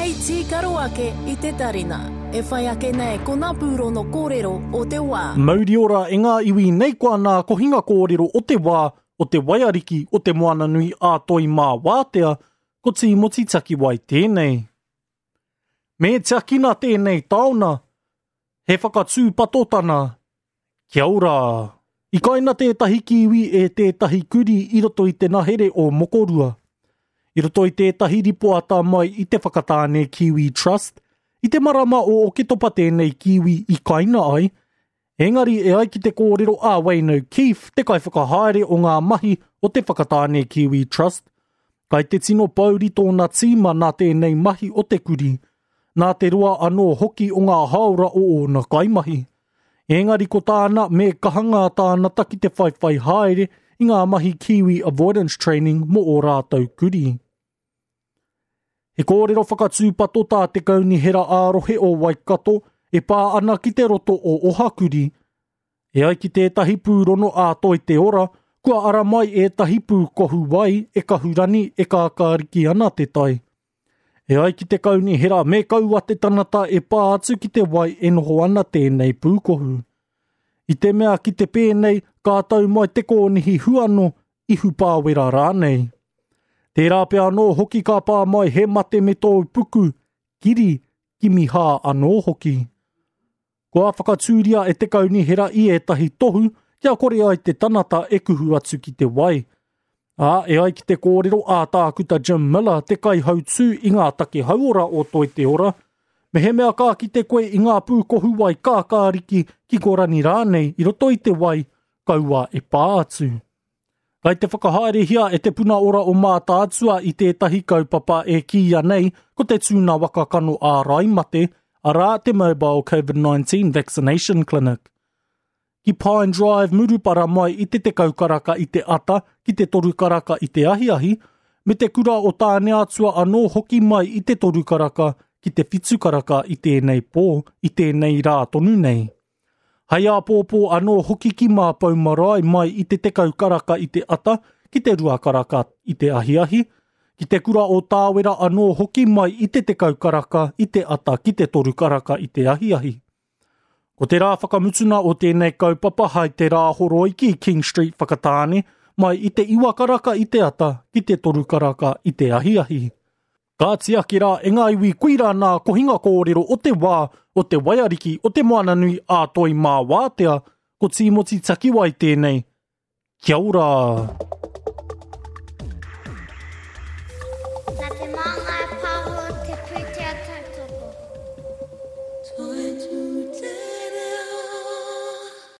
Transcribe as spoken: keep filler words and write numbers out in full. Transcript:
Hei tīkaro ake i te tarina. E whai ake nei ko ngā pūrono kōrero o te wā. Mauri ora e ngā iwi nei koa nā kohinga kōrero o te wā, o te waiariki, o te moananui a toi mā wātea, ko Tīmoti Takiwai tēnei. Me tiakina tēnei taona, he whakatūpatotana. Kia ora! I kaina tētahi kiwi e tētahi kuri i roto i te nahere o Mokorua. I roto i tētahi ripoata mai i te Whakatāne Kiwi Trust, i te marama o Oketopa tēnei kiwi i kaina ai, engari e ai ki te kōrero a Wayne O'Keefe, te kaiwhakahaere o ngā mahi o te Whakatāne Kiwi Trust, kai te tino pouri tōna tīma nā tēnei mahi o te kuri, nā te roa anō hoki o ngā haora o ōna kaimahi. Engari ko tāna me kaha ngā tānata ki te whaiwhai haere i ngā mahi Kiwi Avoidance Training mō ō rātou kuri. He kōrero whakatūpato tā te kaunihera ā-rohe o Waikato e pā ana ki te roto o Ohakuri. E ai ki tētahi pūrono ā Toi Te Ora, kua ara mai ētahi pūkohu wai e kahurani e kākāriki ana te tai. E ai ki te kaunihera me kaua te tangata e pā atu ki te wai e noho ana tēnei pūkohu. I te mea ki te pēnei, ka tau mai te kōnihi huano, ihu pāwera rānei. Tērā pea anō hoki ka pā mai he mate me tōu puku, kiri, kimi hā anō hoki. Kua whakatūria e te kaunihera i ētahi tohu kia kore ai te tangata e kuhu atu ki te wai. Ā, e ai ki te kōrero a Tākuta Jim Miller, te kaihautū i ngā take hauora o Toi Te Ora, mehemea ka kite koe i ngā pūkohu wai kākāriki ki korani rānei i roto i te wai, kaua e pā atu. Kai te whakahaerehia e te puna ora o Mātaatua i tētahi kaupapa e kīia nei ko te tūna waka kano ārai mate, arā te Mobile COVID nineteen Vaccination Clinic. Ki Pine Drive Murupara mai i te tekau karaka i te ata ki te toru karaka i te ahiahi, me te kura o Tāneatua anō hoki mai i te toru karaka ki te whitu karaka i tēnei pō, i tēnei rā tonu nei. Hei āpōpō anō hoki ki Māpou Marae mai i te tekau karaka i te ata ki te rua karaka i te ahiahi, ki te kura o Tāwera anō hoki mai i te tekau karaka i te ata ki te toru karaka i te ahiahi. Ko te rā whakamutuna o tēnei kaupapa hai te rā horoi ki King Street Whakatāne mai i te iwa karaka i te ata ki te toru karaka i te ahiahi. Ka tiaki rā e ngā iwi kuira nā kohinga kōrero o te wā o te waiariki o te moananui a Toi Mā Wātea, ko Tīmoti Takiwai tēnei. Kia ora! Nā te Māngai